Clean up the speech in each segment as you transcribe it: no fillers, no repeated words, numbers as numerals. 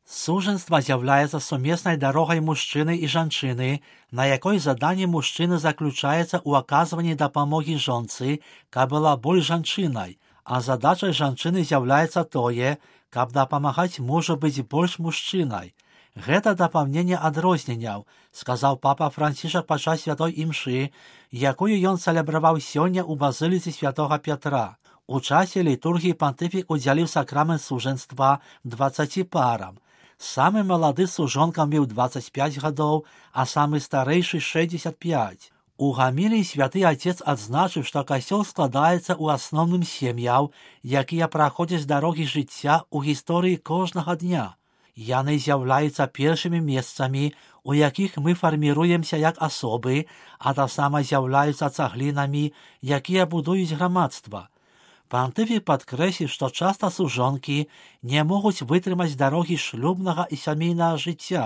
Сужэнства з'яўляецца сумеснай дарогай мужчыны і жанчыны, на якой заданне мужчыны заключаецца ў аказванні дапамогі жонцы, каб была больш жанчынай, а задачай жанчыны з'яўляецца тое, каб дапамагаць мужу быць больш мужчынай. Гэта дапаўненне адрозненняў, сказаў папа Францішак падчас святой імшы, якую ён цэлебраваў сёння ў базыліцы святога Пятра. У часе літургіі пантыфік удзяліў сакрамент сужэнства 20 парам. Самы малады сужонкам меў 25 гадоў, а самы старэйшы 65. У гаміліі святы отец адзначыў, што касцёл складаецца ў асноўным сем'яў, якія праходзяць дарогі жыцця ў гісторыі кожнага дня. Яны з'яўляюцца першымі месцамі, у якіх мы фарміруемся як асобы, а таксама з'яўляюцца цаглінамі, якія будуюць грамадства. Пантыфік падкрэсліў, што часта сужонкі не могуць вытрымаць дарогі шлюбнага і сямейнага жыцця.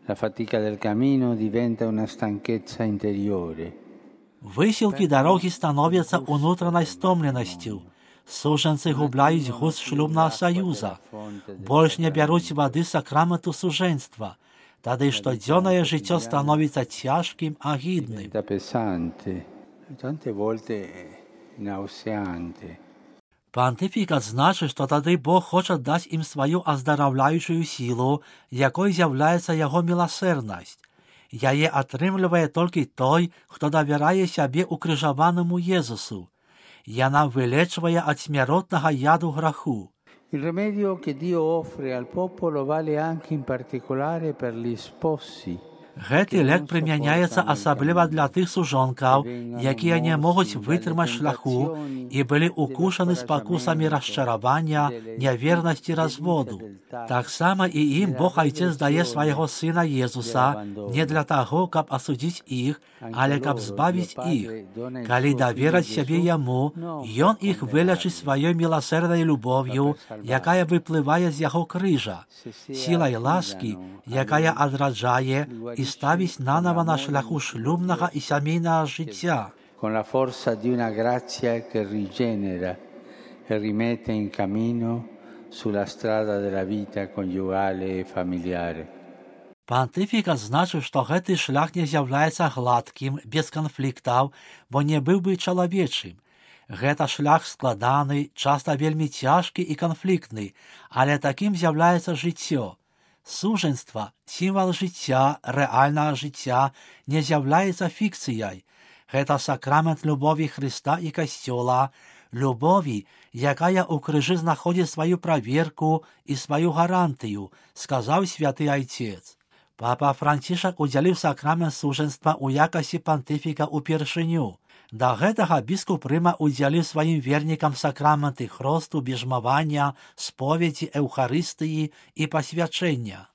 La fatica del cammino diventa una станкezza interiore. Высілкі дарогі становяцца ўнутранай стомленасцю. Сужэнцы губляюць густ шлюбнага саюза. Больш не бяруць вады сакраменту сужэнства. Тады штодзённае жыццё становіцца цяжкім, агідным. Tante volte nauseante. Пантыфік адзначыў, што тады Бог хоча даць ім сваю аздараўляючую сілу, якой з'яўляецца яго міласэрнасць. Яе атрымлівае толькі той, хто давярае сябе укрыжаванаму Езусу. Яна вылечвае ад смяротнага яду граху. Il rimedio che Dio offre al popolo vale anche in particolare per gli sposi. Гэты лек прымяняецца асабліва для тых сужонкаў, якія не могуць вытрымаць шляху і былі укушаны спакусамі расчаравання, нявернасці, разводу. Таксама і ім Бог Айцец дае свайго Сына Езуса не для таго, каб асудзіць іх, але каб збавіць іх. Калі давераць сябе Яму, Ён іх вылечыць сваёй міласэрнай любоўю, якая выплывае з яго крыжа, сілай ласкі, якая адраджае і ставіць нанова на шляху шлюбнага і сямейнага жыцця. Con la forza di una grazia che rigenera e rimette in cammino sulla strada della vita coniugale e familiare. Пантыфік адзначыў, што гэты шлях не з'яўляецца гладкім, без канфліктаў, бо не быў бы чалавечым. Гэта шлях складаны, часта вельмі цяжкі і канфліктны, але такім з'яўляецца жыццё. Сужэнства, сімвал жыцця, рэальнага жыцця, не з'яўляецца фікцыяй. Гэта сакрамент любові Хрыста і Касцёла, любові, якая ў крыжы знаходзіць сваю праверку і сваю гарантыю, сказаў святы Айцец. Папа Францішак удзяліў сакрамент сужэнства ў якасці пантыфіка ўпершыню. Да гэтага біскуп Рыма удзяліў сваім вернікам сакраменты хросту, біжмавання, споведзі, эўхарыстыі і пасвячэння.